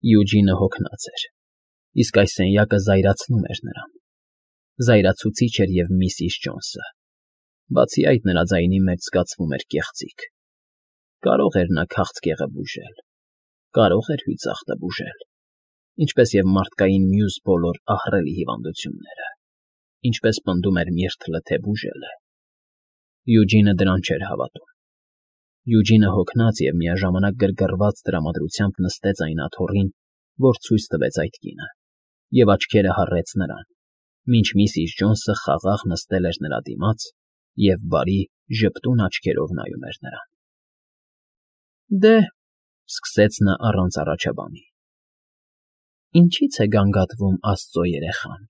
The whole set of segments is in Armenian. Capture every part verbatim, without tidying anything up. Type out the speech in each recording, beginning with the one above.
Յուջինը հոգնած էր, իսկ այս սենյակը զայրացնում էր նրան, զայրացուցիչ էր և միսիս Ջոնսը, բացի այդ նրա ձայնի մեջ զգացվում էր կեղծիք. կարող էր նա քաղցկեղը բուժել, կարող էր հյուսախտը բուժել, ինչպես և մարդկային մյուս բոլոր ահռելի հիվանդությունները, ինչպես պնդում էր միրթլը, թե բուժել է. Յուջինը դրան չէր հավատում։ Յուջինը հոգնած և միաժամանակ գրգռված տրամադրությամբ նստեց այն աթոռին, որ ցույց տվեց այդ կինը, և աչքերը հառեց նրան, մինչ միսիս Ջոնսը խաղաղ նստել էր նրա դիմաց և բարի, ժպտուն աչքերով նայում էր նրան։ ֊ Դե,֊ սկսեց նա առանց առաջաբանի,֊ ինչի՞ց է գանգատվում աստծո երեխան։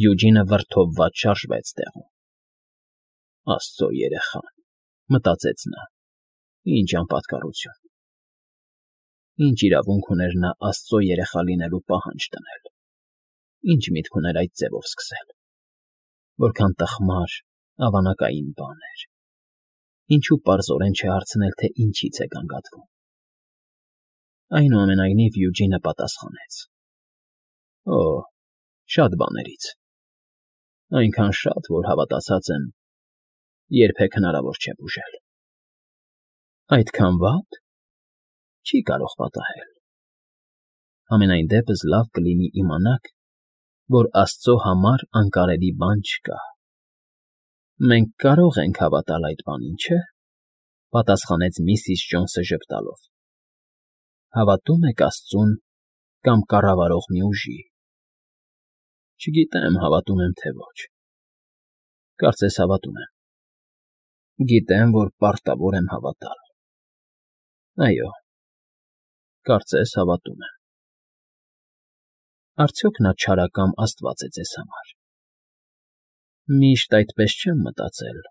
Յուջինը վրդովված շարժվեց տեղում։ «Աստծո երեխան,֊ մտածեց նա,֊ ինչ անպատկառություն… Ինչ իրավունք ուներ նա աստծո երեխա լինելու պահանջ դնել, ինչ միտք ուներ այդ ձևով սկսել… Որքան տխմար, ավանակային բան էր… Ինչու պարզորեն չհարցնել, թե ինչի՞ց է գանգատվում։ Այնուամենայնիվ Յուջինը պատասխանեց. «Օ՜, շատ բաներից… Այնքան շատ, որ հավատացած եմ, երբեք հնարավոր չէ բուժել»։ ֊ Այդքան վա՞տ… Չի կարող պատահել… Համենայն դեպս լավ կլինի իմանաք, որ աստծո համար անկարելի բան չկա։ ֊ Մենք կարող ենք հավատալ այդ բանին, չէ՞, պատասխանեց միսիս Ջոնսը ժպտալով։ ֊ Հավատո՞ւմ եք աստծուն կամ կառավարող մի ուժի։ ֊ Չգիտեմ հավատում եմ, թե ոչ… Կարծես հավատում եմ… Գիտեմ, որ պարտավոր եմ հավատալ… Այո, կարծես հավատում եմ… Արդյոք նա չարակամ աստված է ձեզ համար։ ֊ Միշտ այդպես չեմ մտածել,֊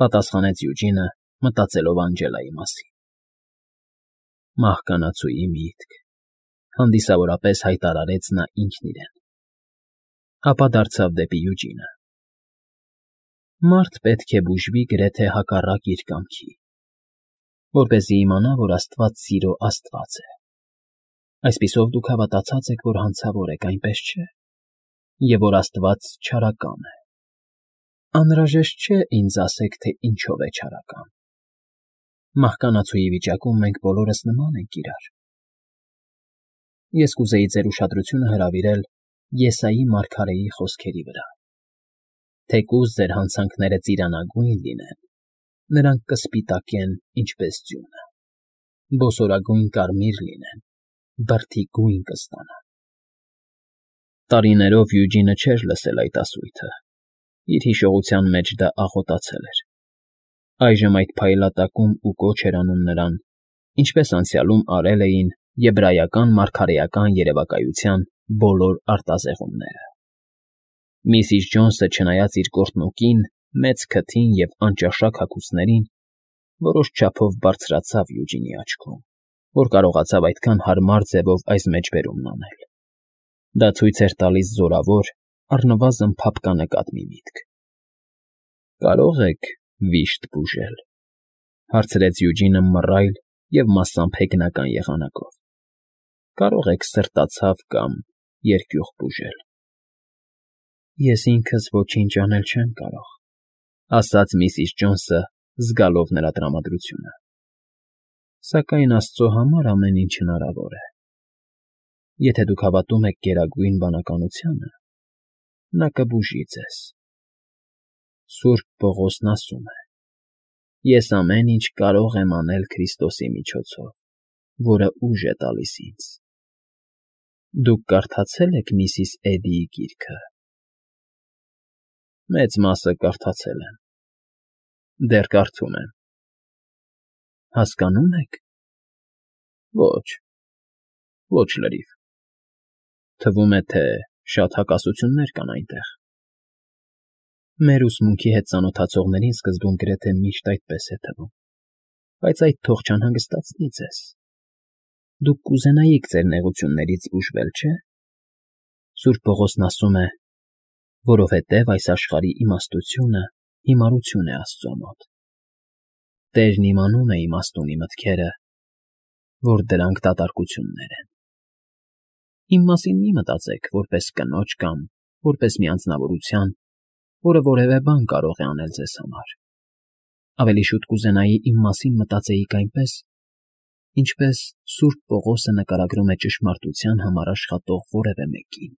պատասխանեց Յուջինը, մտածելով Անջելայի մասին։ ֊ Մահկանացուի միտք,֊ հանդիսավորապես հայտարարեց նա ինքն իրեն, ապա դարձավ դեպի Յուջինը։ ֊ Մարդ պետք է բուժվի գրեթե հակառակ իր կամքի, որպեսզի իմանա, որ աստված սիրո աստված է։ Այսպիսով դուք հավատացած եք, որ հանցավոր եք, այնպես չէ՞, և որ աստված չարակամ է։ Անհրաժեշտ չէ ինձ ասեք, թե ինչով է չարակամ։ Մահկանացուի վիճակում մենք բոլորս նման ենք իրար։ Ես կուզեի ձեր ուշադրությունը հրավիրել Եսայի մարգարեի խոսքերի վրա. «Թեկուզ ձեր հանցանքները ծիրանագույն լինեն, նրանք կսպիտակեն, ինչպես ձյունը, բոսորագույն կարմիր լինեն, բրդի գույն կստանան»։ Տարիներով Յուջինը չէր լսել այդ ասույթը, իր հիշողության մեջ դա աղոթացել էր։ Այժմ այդ փայլատակում ու կոչ էր անում նրան, ինչպես անցյալում արել էին եբրայական մարգարեական երևակայության բոլոր արտազեղումները։ Միսիս Ջոնսը, չնայած իր գործնուկին, մեծ քթին և անճաշակ հագուստներին, որոշ չափով բարձրացավ Յուջինի աչքում, որ կարողացավ այդքան հարմար ձևով այս մեջբերումն անել։ Դա ցույց էր տալիս զորավոր, առնվազն փափկանկատ մի միտք։ ֊ Կարո՞ղ եք վիշտ բուժել,֊ հարցրեց Յուջինը մռայլ և մասամբ հեգնական եղանակով։ ֊ Կարո՞ղ եք սրտացավ կամ երկյուղ բուժել։ ֊ Ես ինքս ոչինչ անել չեմ կարող,֊ ասաց միսիս Ջոնսը, զգալով նրա տրամադրությունը,֊ սակայն աստծո համար ամեն ինչ հնարավոր է։ Եթե դուք հավատում եք գերագույն բանականությանը, նա կբուժի ձեզ։ Սուրբ Պողոսն ասում է. «Ես ամեն ինչ կարող եմ անել Քրիստոսի միջոցով, որը ուժ է տալիս ինձ»։ Դուք կարդացե՞լ եք միսիս Էդիի գիրքը։ ֊ Մեծ մասը կարդացել եմ, դեռ կարդում եմ։ ֊ Հասկանո՞ւմ եք։ ֊ Ոչ, ոչ լրիվ։ Թվում է, թե շատ հակասություններ կան այնտեղ։ ֊ Մեր ուսմունքի հետ ծանոթացողներին սկզբում գրեթե միշտ այդպես է թվում, բայց այդ թող չանհանգստացնի ձեզ։ Դուք կուզենայիք ձեր նեղություններից բուժվել, չէ՞։ Սուրբ Պողոսն ասում է. «Որովհետև այս աշխարհի իմաստությունը հիմարություն է Աստծո մոտ»։ Տերն իմանում է իմաստունի մտքերը, որ դրանք դատարկություններ են։ Իմ մասին մի մտածեք որպես կնոջ կամ որպես մի անձնավորության, որը որևէ բան կարող է անել ձեզ համար։ Ավելի շուտ կուզենայի իմ մասին մտածեիք այնպես, ինչպես Սուրբ Պողոսը նկարագրում է ճշմարտության համար աշխատող որևէ մեկին։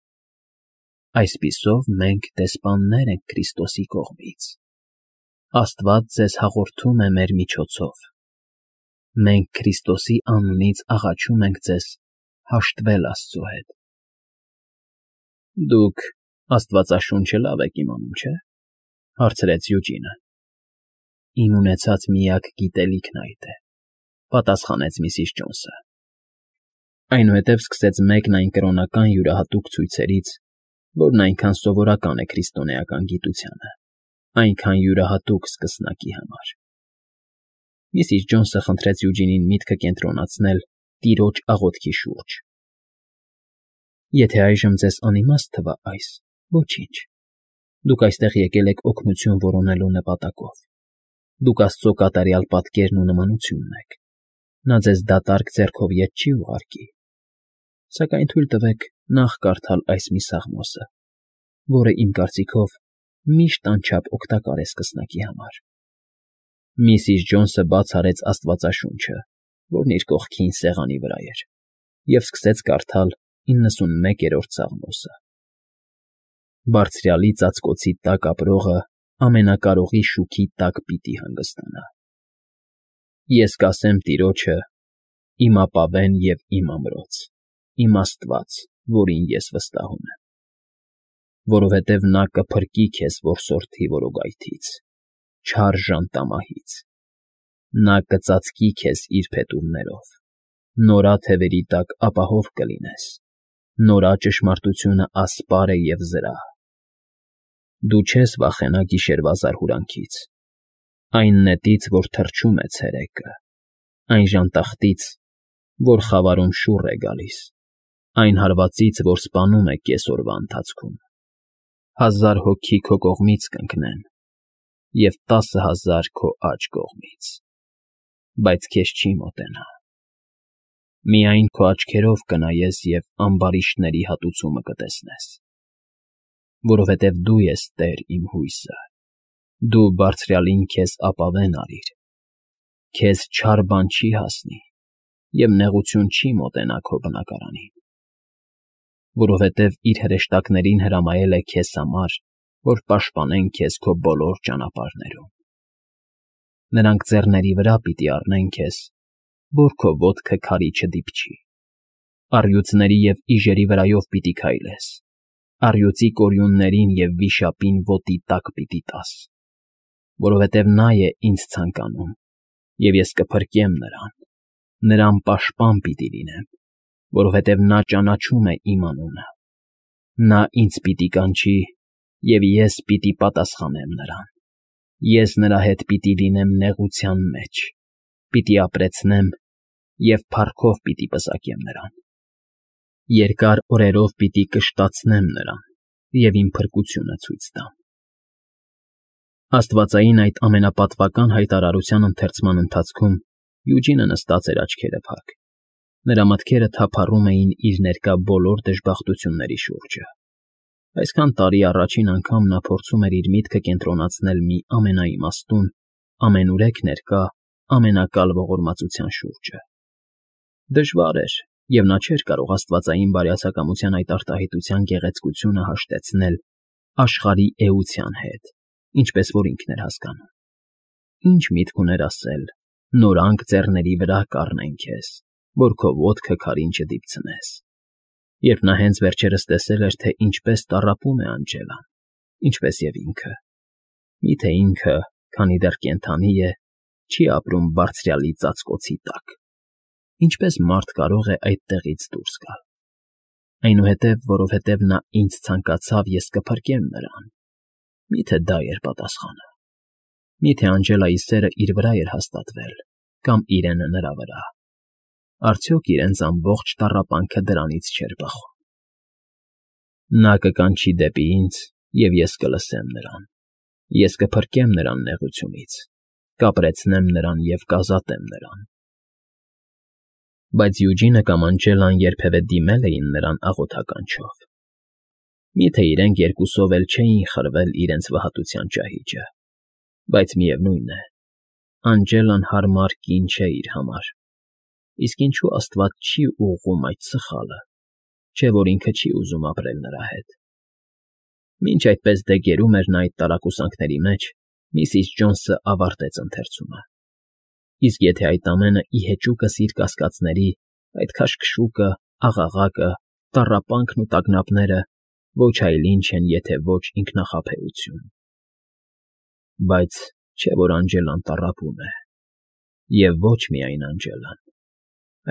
Այսպիսով մենք դեսպաններ ենք Քրիստոսի կողմից։ Աստված ձեզ հաղորդում է մեր միջոցով։ Մենք Քրիստոսի անունից աղաչում ենք ձեզ հաշտվել Աստծո հետ։ Դուք Աստվածաշունչը լավ եք իմանում, չէ՞, հարցրեց Յուջինը։ Իմ ունեցած միակ գիտելիքն այդ է, պատասխանեց միսիս Ջոնսը։ Այնուհետև սկսեց մեկն այն կրոնական յուրահատուկ ցույցերից, որն այնքան սովորական է քրիստոնեական գիտությանը, այնքան յուրահատուկ սկսնակի համար։ Միսիս Ջոնսը խնդրեց Յուջինին միտքը կենտրոնացնել տիրոջ աղոթքի շուրջ։ Եթե այժմ ձեզ անիմաստ թվա այս, ոչինչ։ Դուք այստեղ եկել եք օգնություն որոնելու նպատակով։ Դուք Աստծո կատարյալ պատկերն ու նմանությունն եք։ Նա ձեզ դատարկ ձեռքով ետ չի ուղարկի։ Սակայն թույլ տվեք նախ կարդալ այս մի սաղմոսը, որը իմ կարծիքով միշտ անչափ օգտակար է սկսնակի համար։ Միսիս Ջոնսը բաց արեց Աստվածաշունչը, որն իր կողքին սեղանի վրա էր, և սկսեց կարդալ իննսունմեկերորդ սաղմոսը։ Բարձրյալի ծածկոցի տակ ապրողը ամենակարողի շուքի տակ պիտի հանգստանա։ Ես կասեմ Տիրոջը. իմ ապավեն և իմ ամրոց, իմ Աստված, որին ես վստահում եմ։ Որովհետև նա կփրկի քեզ որսորդի որոգայթից, չար ժանտամահից։ Նա կծածկի քեզ իր փետուրներով, նորա թևերի տակ ապահով կլինես, նորա ճշմարտությունը ասպար է և զրահ։ Դու չես վախենա գիշերվա զարհուրանքից, այն նետից, որ թռչում է ցերեկը, այն ժանտախտից, որ խավարում շուռ է գալիս, այն հարվածից, որ սպանում է կեսօրվա ընթացքում։ Հազար հոգի քո կողմից կընկնեն և տասը հազար քո աջ կողմից, բայց քեզ չի մոտենա։ Միայն քո աչքերով կնայես և ամբարիշտների հատուցումը կտեսնես։ Որովհետև դու ես Տեր իմ հույսը, դու Բարձրյալին քեզ ապավեն արիր։ Քեզ չար բան չի հասնի, և նեղություն չի մոտենա քո բնակարանին։ Որովհետև իր հրեշտակներին հրամայել է քեզ համար, որ պաշտպանեն քեզ քո բոլոր ճանապարհներում։ Նրանք ձեռների վրա պիտի առնեն քեզ, որ քո ոտքը քարի չդիպչի։ Առյուծների և իժերի վրայով պիտի քայլես, առյուծի կորյուններին և վիշապին ոտի տակ պիտի տաս։ Որովհետև նա է ինձ ցանկանում, և ես կփրկեմ նրան, նրան պաշտպան պիտի լինեմ, որովհետև նա ճանաչում է իմ անունը։ Նա ինձ պիտի կանչի, և ես պիտի պատասխանեմ նրան։ Ես նրա հետ պիտի լինեմ նեղության մեջ, պիտի ապրեցնեմ և փառքով պիտի պսակեմ նրան։ Երկար օրերով պիտի կշտացնեմ նրան և իմ փրկությունը ցույց տամ։ Աստվածային այդ ամենապատվական հայտարարության ընթերցման ընթացքում Յուջինը նստած էր աչքերը փակ։ Նրա մտքերը թափառում էին իր ներկա բոլոր դժբախտությունների շուրջը։ Այսքան տարի առաջին անգամ նա փորձում էր իր միտքը կենտրոնացնել մի ամենաիմաստուն, ամենուրեք ներկա, ամենակալ ողորմածության շուրջը։ Դժվար էր, և նա չէր կարող աստվածային բարյացակամության այդ արտահայտության գեղեցկությունը հաշտեցնել աշխարհի էության հետ, ինչպես որ ինքն էր հասկանում։ Ինչ միտք ուներ ասել. «Նորանք ձեռների վրա կառնեն քեզ, որ քո ոտքը քարին չդիպցնես», երբ նա հենց վերջերս տեսել էր, թե ինչպես տառապում է Անջելան, ինչպես և ինքը։ Միթե ինքը, քանի դեռ կենդանի է, չի ապրում Բարձրյալի ծածկոցի տակ։ Ինչպես մարդ կարող է այդտեղից դուրս գալ։ Այնուհետև, որովհետև նա ինձ ցանկացավ, ես կփրկեմ նրան։ Միթե դա էր պատասխանը։ Միթե Անջելայի սերը իր վրա էր հաստատվել, կամ իրենը նրա վրա։ Արդյոք իրենց ամբողջ տառապանքը դրանից չէր բխում։ Նա կկանչի դեպի ինձ, և ես կլսեմ նրան։ Ես կփրկեմ նրան նեղությունից, կապրեցնեմ նրան և կազատեմ նրան։ Բայց Յուջինը կամ Անջելան երբևէ դիմել էին նրան աղոթականչով։ Միթե իրենք երկուսով էլ չէին խրվել իրենց վհատության ճահիճը, բայց միևնույն է, Անջելան հարմար կին չէ իր համար, իսկ ինչու աստված չի ուղղում այդ սխալը, չէ՞ որ ինքը չի ուզում ապրել նրա հետ։ Մինչ այդպես դե գերում էր նա այդ տարակուսանքների մեջ, միսիս Ջոնսը ավարտեց ընթերցումը։ Իսկ եթե այդ ամենը ի հեճուկս իր կասկածների, այդ քաշքշուկը, աղաղակը, տառապանքն ու տագնապները ոչ այլ ինչ են, եթե ոչ ինքնախաբեություն։ Բայց չէ՞ որ Անջելան տառապում է։ Եվ ոչ միայն Անջելան։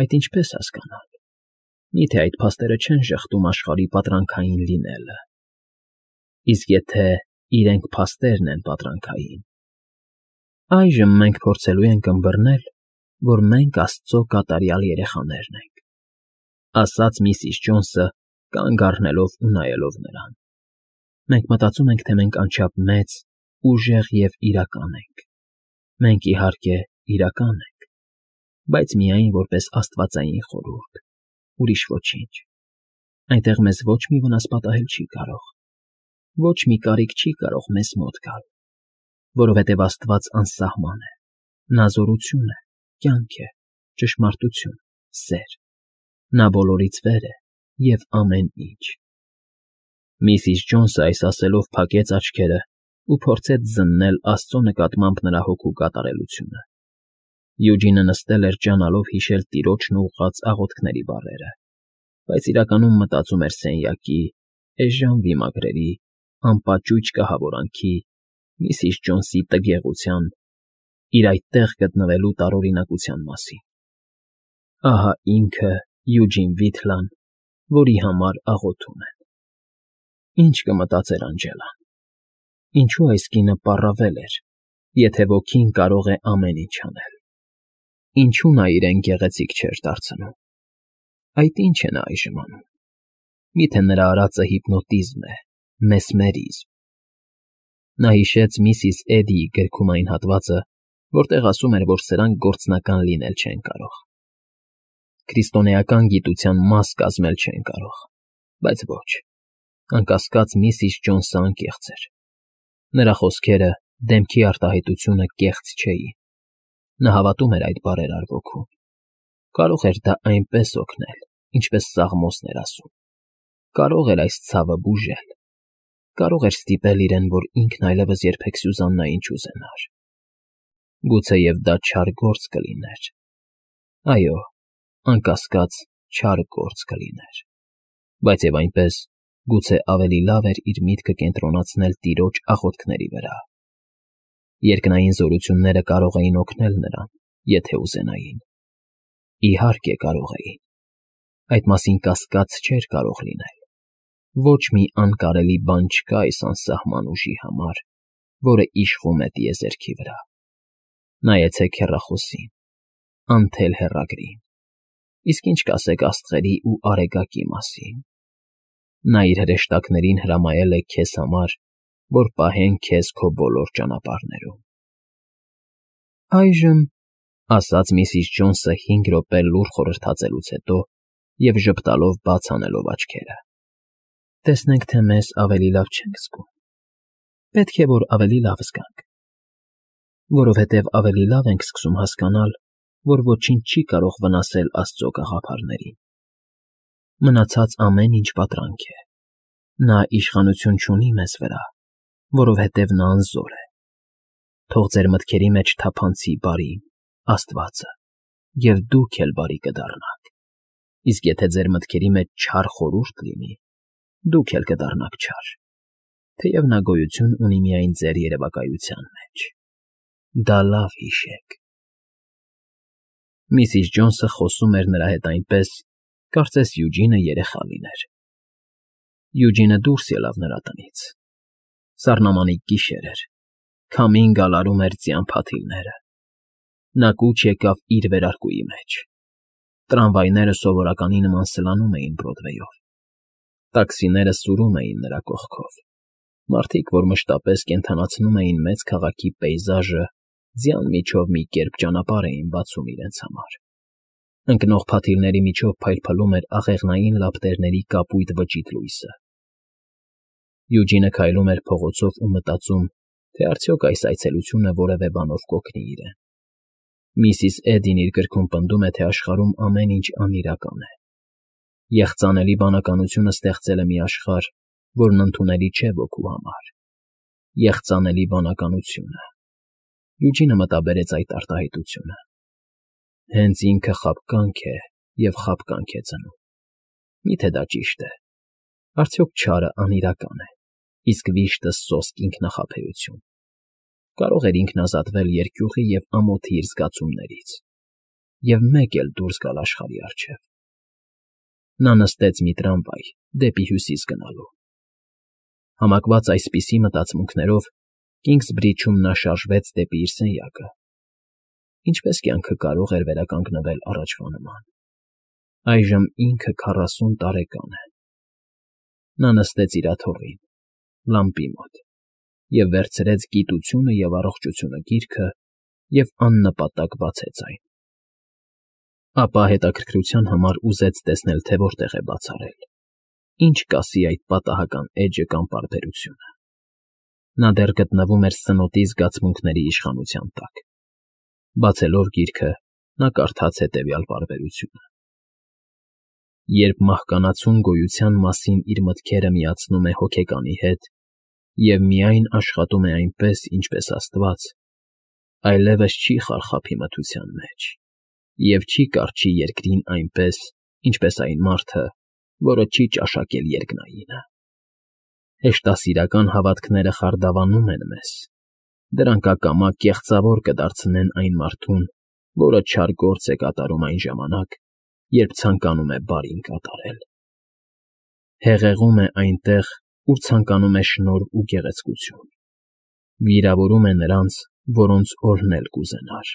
Այդ ինչպես հասկանալ։ Միթե այդ փաստերը չեն ժխտում աշխարհի պատրանքային լինելը։ Իսկ եթե իրենք փաստերն են պատրանքային։ Այժմ մենք փորձելու ենք ըմբռնել, որ մենք Աստծո կատարյալ երեխաներն ենք, ասաց միսիս Ջոնսը, կանգ առնելով ու նայելով նրան։ Մենք մտածում ենք, թե մենք անչափ մեծ, ուժեղ և իրական ենք։ Մենք, իհարկե, իրական ենք, բայց միայն որպես աստվածային խորհուրդ, ուրիշ ոչինչ։ Այնտեղ մեզ ոչ մի վնաս պատահել չի կարող, ոչ մի կարիք չի կարող մեզ մոտ գալ, որովհետև Աստված անսահման է, նա զորություն է, կյանք է, ճշմարտություն, սեր, նա բոլորից վեր է և ամեն ինչ։ Միսիս Ջոնսը այս ասելով փակեց աչքերը ու փորձեց զննել Աստծո նկատմամբ նրա հոգու կատարելությունը։ Յուջինը նստել էր ջանալով հիշել տիրոջն ուղղած աղոթքների բառերը, բայց իրականում մտածում էր սենյակի, էժան վիմագրերի, անպաճույճ կահավորանքի, միսիս Ջոնսի տգեղության, իր այդտեղ գտնվելու տարօրինակության մասին։ Ահա ինքը Յուջին Վիթլան, որի համար աղոթում են։ Ինչ կմտածեր Անջելան։ Ինչու այս կինը պառավել էր, եթե ոգին կարող է ամեն ինչ անել։ Ինչու նա իրեն գեղեցիկ չէր դարձնում։ Այդ ի՞նչ է նա այժմ անում։ Միթե նրա արածը հիպնոտիզմ է, մեսմերիզմ։ Նա հիշեց միսիս Էդիի գրքում այն հատվածը, որտեղ ասում էր, որ սրանք գործնական լինել չեն կարող։ Քրիստոնեական գիտության մաս կազմել չեն կարող, բայց ոչ, անկասկած միսիս Ջոնսը անկեղծ էր։ Նրա խոսքերը, դեմքի արտահայտությունը կեղծ չէին։ Նա հավատում էր այդ բարերար ոգուն։ Կարող էր դա այնպես օգնել, ինչպես Սաղմոսն էր ասում։ Կարող էր այս ցավը բուժել։ Կարող էր ստիպել իրեն, որ ինքն այլևս երբեք Սյուզաննային չուզենար։ Գուցեև դա չար գործ կլիներ։ Այո, անկասկած չար գործ կլիներ։ Բայց և այնպես, գուցե ավելի լավ էր իր միտքը կենտրոնացնել տիրոջ աղոթքների վրա։ Երկնային զորությունները կարող էին օգնել նրան, եթե ուզենային։ Իհարկե կարող էին։ Այդ մասին կասկած չէր կարող լինել։ Ոչ մի անկարելի բան չկա այս անսահման ուժի համար, որը իշխում է տիեզերքի վրա։ Նայեցեք հեռախոսին, անթել հեռագրին, իսկ ինչ կասեք աստղերի ու արեգակի մասին։ Նա իր հրեշտակներին հրամայել է քեզ համար, որ պահեն քեզ քո բոլոր ճանապարհներում։ Այժմ, ասաց միսիս Ջոնսը հինգ րոպե լուռ խորհրդածելուց հետո և ժպտալով բաց անելով աչքերը, տեսնենք, թե մեզ ավելի լավ չենք զգում։ Պետք է, որ ավելի լավ զգանք, որովհետև ավելի լավ ենք սկսում հասկանալ, որ ոչինչ չի կարող վնասել Աստծո գաղափարներին։ Մնացած ամեն ինչ պատրանք է։ Նա իշխանություն չունի մեզ վրա, որովհետև նա անզոր է։ Թող ձեր մտքերի մեջ թափանցի բարին, Աստվածը, և դուք էլ բարի կդառնաք։ Իսկ եթե ձեր մտքերի մեջ չար խորհուրդ լինի, դուք էլ կդառնաք չար, թեև նա գոյություն ունի միայն ձեր երևակայության մեջ։ Դա լավ հիշեք։ Միսիս Ջոնսը խոսում էր նրա հետ այնպես, կարծես Յուջինը երեխա լիներ։ Յուջինը դուրս ելավ նրա տնից։ Սառնամանիք գիշեր էր, քամին գալարում էր ձյան փաթիլները։ Նա կուչ եկավ իր վերարկուի մեջ։ Տրամվայները սովորականի նման սլանում էին Բրոդվեյով։ Տաքսիները սուրում էին նրա կողքով։ Մարդիկ, որ մշտապես կենդանացնում էին մեծ քաղաքի պեյզաժը, ձյան միջով մի կերպ ճանապարհ էին բացում իրենց համար։ Ընկնող փաթիլների միջով փայլփլում էր աղեղնային լապտերների կապույտ վճիտ լույսը։ Յուջինը քայլում էր փողոցով ու մտածում, թե արդյոք այս այցելությունը որևէ բանով կօգնի իրեն։ Միսիս Էդին իր գրքում պնդում է, թե աշխարհում ամեն ինչ անիրական է։ Եղծանելի բանականությունը ստեղծել է մի աշխարհ, որն ընդունելի չէ ոգու համար։ Եղծանելի բանականությունը։ Յուջինը մտաբերեց այդ արտահայտությունը։ Հենց ինքը խաբկանք է և խաբկանք է ծնում։ Մի՞թե դա ճիշտ է։ Արդյոք չարը անիրական է, իսկ վիշտը սոսկ ինքնախաբեություն։ Կարող էր ինքն ազատվել երկյուղի և ամոթի իր զգացումներից և մեկ էլ դուրս գալ աշխարհի առջև։ Նա նստեց մի տրամվայ դեպի Հյուսիս գնալու։ Համակված այսպիսի մտածմունքներով Կինգսբրիջում նա շարժվեց դեպի իր սենյակը։ Ինչպես կյանքը կարող էր վերականգնվել առաջվա նման։ Այժմ ինքը քառասուն տարեկան է։ Նա նստեց իր աթոռին, լամպի մոտ, և վերցրեց «Գիտությունը և առողջությունը» գիրքը և աննպատակ բացեց այն։ Ապա հետաքրքրության համար ուզեց տեսնել, թե որտեղ է բացառել, ինչ կասի այդ պատահական էջը կամ պարբերությունը։ Նա դեռ գտնվում էր սնոտի զգացմունքների իշխանության տակ։ Բացելով գիրքը՝ նա կարդաց հետևյալ պարբերությունը. «Երբ մահկանացուն գոյության մասին իր մտքերը միացնում է հոգեկանի հետ և միայն աշխատում է այնպես, ինչպես Աստված, այլևս չի խարխափի մթության մեջ և չի կառչի երկրին այնպես, ինչպես այն մարդը, որը չի ճաշակել երկնայինը։ Հեշտասիրական հավատքները խարդավանում են մեզ, դրանք ակամա կեղծավոր կդարձնեն այն մարդուն, որը չար գործ է կատարում այն ժամանակ, երբ ցանկանում է բարին կատարել։ Հեղեղում է այնտեղ, ուր ցանկանում է շնորհ ու գեղեցկություն, վիրավորում է նրանց, որոնց օրհնել կուզենար։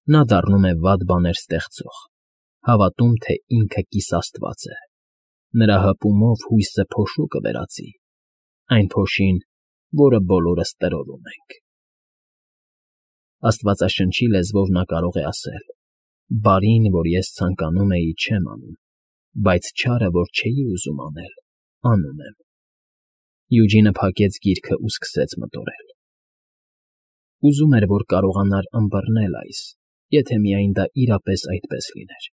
Նա դառնում է վատ բաներ ստեղծող, հավատում, թե ինքը կիսաստված է, նրա հպումով հույսը փոշու կվերածի, այն փոշին, որը բոլորս տրորում ենք։ Աստվածաշնչի լեզվով նա կարող է ասել. «Բարին, որ ես ցանկանում էի, չեմ անում, բայց չարը, որ չէի ուզում անել, անում եմ»։ Յուջինը փակեց գիրքը ու սկսեց մտորել։ Ուզում էր, որ կարողանար ըմբռնել այս, եթե միայն դա իրապես այդպես լիներ։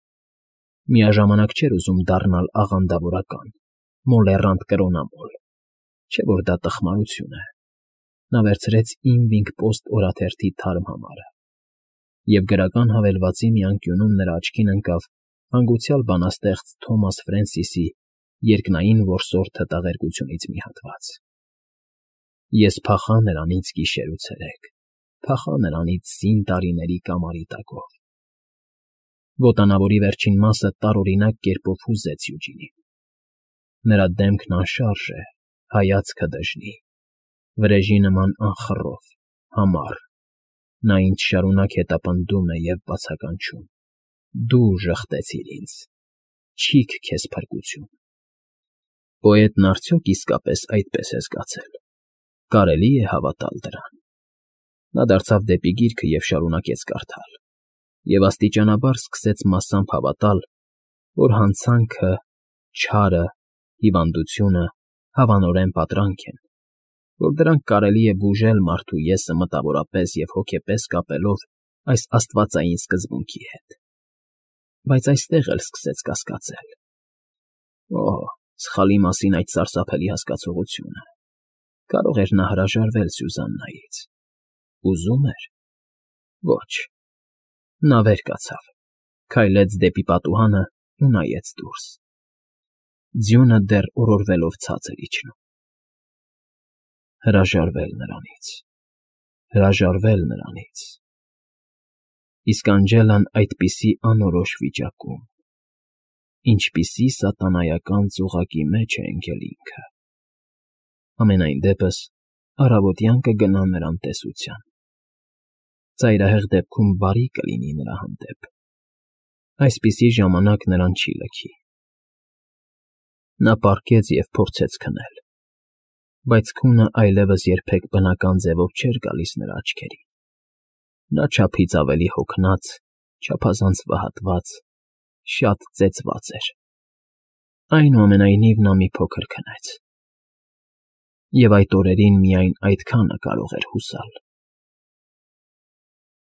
Միաժամանակ չէր ուզում դառնալ աղանդավորական, մոլեռանդ կրոնամոլ, չէ՞ որ դա տխմարություն է։ Նա վերցրեց Evening Post օրաթերթի թարմ համարը, և գրական հավելվածի մի անկյունում նրա աչքին ընկավ հանգուցյալ բանաստեղծ Թոմաս Ֆրենսիսի «Երկնային որսորդը» տաղերգությունից մի հատված. Ես փախա նրանից գիշեր ու ցերեկ, փախա նրանից սին տարիների կամարի տակով։ Ոտանավորի վերջին մասը տարօրինակ կերպով հուզեց Յուջինին։ Նրա դեմքն անշարժ է, հայացքը դժնի, վրեժի նման անխռով, համառ։ Նա ինձ շարունակ հետապնդում է և բացականչում. «Դու ժխտեցիր ինձ, չի՜ք քեզ փրկություն»։ Պոետն արդյոք իսկապես այդպես է զգացել։ Կարելի՞ է հավատալ դրան։ Նա դարձավ դեպի գիրքը և շարունակեց կարդալ, և աստիճանաբար սկսեց մասամբ հավատալ, որ հանցանքը, չարը, հիվանդությունը հավանորեն պատրանք են, որ դրանք կարելի է բուժել մարդու եսը մտավորապես և հոգեպես կապելով այս աստվածային սկզբունքի հետ։ Բայց այստեղ էլ սկսեց կասկածել։ Օհ, սխալի մասին այդ սարսափելի հասկացողությունը։ Կարող էր նա հրաժարվել Սյուզաննայից։ Ուզում էր։ Ոչ։ Նա վեր կացավ, քայլեց դեպի պատուհանը ու նայեց դուրս։ Ձյունը դեռ օրորվելով ցած էր իջնում։ Հրաժարվել նրանից, հրաժարվել նրանից… Իսկ Անջելան այդպիսի անորոշ վիճակում… Ինչպիսի սատանայական ծուղակի մեջ է ընկել ինքը… Համենայն դեպս, առավոտյան կգնա նրան տեսության։ Ծայրահեղ դեպքում բարի կլինի նրա հանդեպ։ Այսպիսի ժամանակ նրան չի լքի։ Նա պառկեց և փորձեց քնել, բայց քունը այլևս երբեք բնական ձևով չէր գալիս նրա աչքերին։ Նա չափից ավելի հոգնած, չափազանց վհատված, շատ ծեծված էր, այնուամենայնիվ նա մի փոքր քնեց, և այդ օրերին միայն այդքանը կարող էր հուսալ։